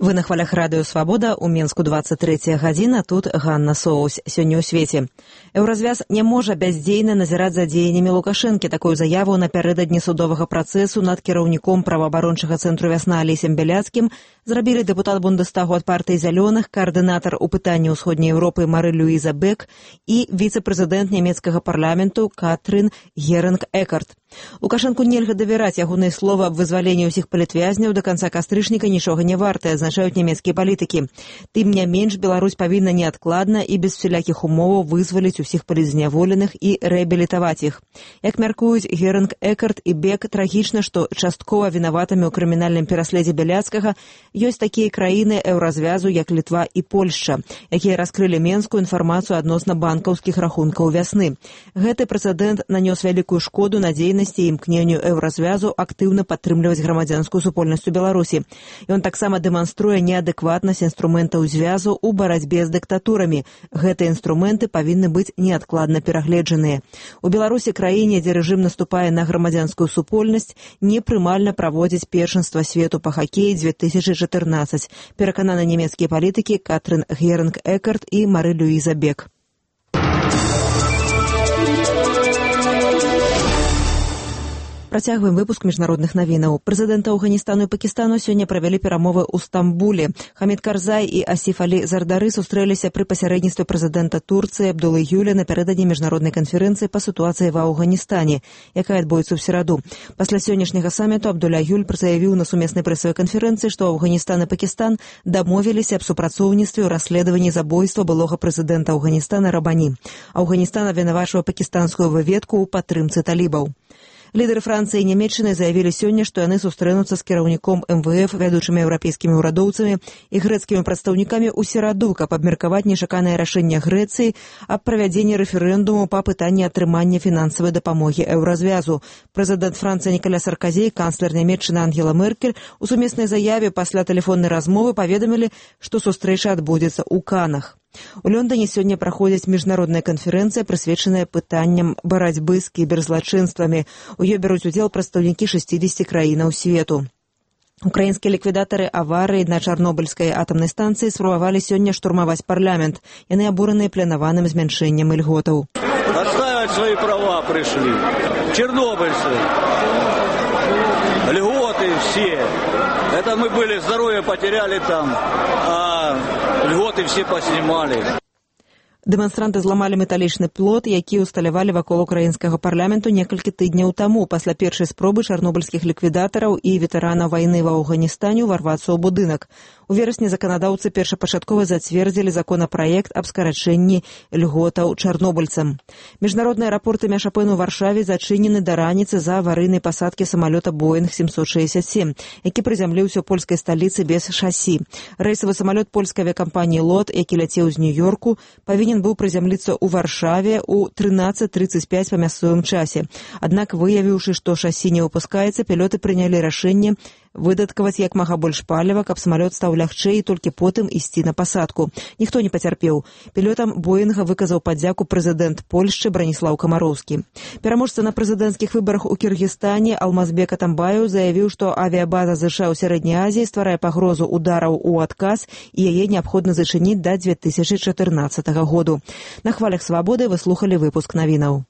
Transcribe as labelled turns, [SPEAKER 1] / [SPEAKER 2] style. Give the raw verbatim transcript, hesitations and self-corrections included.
[SPEAKER 1] Вы на хвалях радыё «Свабода», у Менску двадцать третья гадзіна, тут Ганна Соус. Сёння ў свеце. Еўразвяз не можа бяздзейна назіраць за дзеяннямі Лукашэнкі. Такую заяву напярэдадні судовага працэсу над кіраўніком праваабарончага цэнтру «Вясна» Алесем Бяляцкім зрабілі дэпутат Бундестагу ад партыі «Зялёных», каардынатар у пытанні ўсходняй Еўропы Мары-Люіза Бек і віцэ-прэзідэнт нямецкага парламенту Катрын Герынг-Экарт. Лукашэнку нельга давяраць, ягоныя словы аб вызваленні ўсіх палітвязняў да канца кастрычніка нічога не вартыя, азначаюць нямецкія палітыкі. Тым не менш, Беларусь павінна неадкладна і без всялякіх умоваў вызваліць усіх палітзняволеных і рэабілітаваць іх. Як мяркуюць Герынг-Экарт і Бек, трагічна, што часткова вінаватымі ў крымінальным пераследзе Бяляцкага ёсць такія краіны еўразвязу, як Літва і Польшча, якія раскрылі менскую інфармацыю адносна банкаўскіх рахункаў «Вясны». Гэты прэцэдэнт нанёс вялікую шкоду надзейнасці і імкненню еўразвязу актыўна падтрымліваць грамадзянскую супольнасць у Беларусі. Ён таксама дэманструе неадэкватнасць інструментаў звязу ў барацьбе з дыктатурамі. Гэтыя інструменты павінны быць неадкладна перагледжаныя. У Беларусі, краіне, дзе рэжым наступае на грамадзянскую супольнасць, непрымальна праводзіць першынства свету па хакеі две тысячы чатырнаццаць. Перакананы нямецкія палітыкі Катрын Герынг-Экарт і Мары-Люіза Бек. Працягваем выпуск міжнародных навінаў. Прэзідэнты Афганістану і Пакістану сёння правялі перамовы ў Стамбуле. Хамід Карзай і Асіф Алі Зардары сустрэліся пры пасярэдніцтве прэзідэнта Турцыі Абдулы Гюля напярэдадні міжнароднай канферэнцыі па сітуацыі ва Афганістане, якая адбудзецца ў сераду. Пасля сённяшняга саміту Абдуля Гюль заявіў на сумеснай прэсавай канферэнцыі, што Афганістан і Пакістан дамовіліся аб супрацоўніцтве ў расследаванні забойства былога прэзідэнта Афганістана Рабані. Афганістан абвінавачвае пакістанскую выведку ў падтрымцы талібаў. Лідары Францыі і Нямецчыны заявілі сёння, што яны сустрэнуцца з кіраўніком эм вэ эф, вядучымі еўрапейскімі ўрадоўцамі і грэцкімі прадстаўнікамі ў сераду, каб абмеркаваць нечаканае рашэнне Грэцыі аб правядзенні рэферэндуму па пытанні атрымання фінансавай дапамогі еўразвязу. Прэзідэнт Францыі Ніколя Саркозі і канцлер Нямецчыны Ангела Меркель у сумеснай заяве пасля тэлефоннай размовы паведамілі, што сустрэча адбудзецца ў Канах. У Лондоне сёння праходзіць міжнародная канферэнцыя, прысвечаная пытанням барацьбы з кіберзлачынствамі. У ёй бяруць удзел прадстаўнікі шэсцідзесяці краінаў свету. Украінскія ліквідатары аварыі на Чарнобыльскай атамнай станцыі спрабавалі сёння штурмаваць парламент. Яны абураныя планаваным змяншэннем ільготаў.
[SPEAKER 2] Отстаивать свои права пришли. Чернобыльцы. Льготы все. Это мы были, здоровье потеряли там, а льготы все поснимали.
[SPEAKER 1] Дэманстранты зламалі металічны плот, які ўсталявалі вакол украінскага парламенту некалькі тыдняў таму, пасля першай спробы чарнобыльскіх ліквідатараў і ветэранаў вайны ва Афганістане ўварвацца ў будынак. У верасні заканадаўцы першапачаткова зацвердзілі законапраект аб скарачэнні льготаў чарнобыльцам. Міжнародныя аэрапорты Мяшапэн у Варшаве зачынены да раніцы за аварыйнай пасадкі самалёта Боинг семьсот шестьдесят семь, які прызямліўся ў польскай сталіцы без шасі. Рэйсавы самалёт польскай авіякампаніі «Лот», які ляцеў з Нью-Йорку, павінен быў прызямліцца ў Варшаве ў трынаццаць трыццаць пяць па мясцовым часе. Аднак, выявіўшы, што шасі не выпускаецца, пілоты прынялі рашэнне выдаткаваць як мага больш паліва, каб самалёт стаў лягчэй і толькі потым ісці на пасадку. Ніхто не пацярпеў. Пілотам Боинга выказаў падзяку прэзідэнт Польшчы Браніслаў Камароўскі. Пераможца на прэзідэнцкіх выбарах у Кіргізстане Алмазбек Атамбаеў заявіў, што авіябаза ЗША ў Сярэдняй Азіі стварае пагрозу удараў у адказ і яе неабходна зачыніць да две тысячы чатырнаццатага году. На хвалях «Свабоды» вы слухалі выпуск навінаў.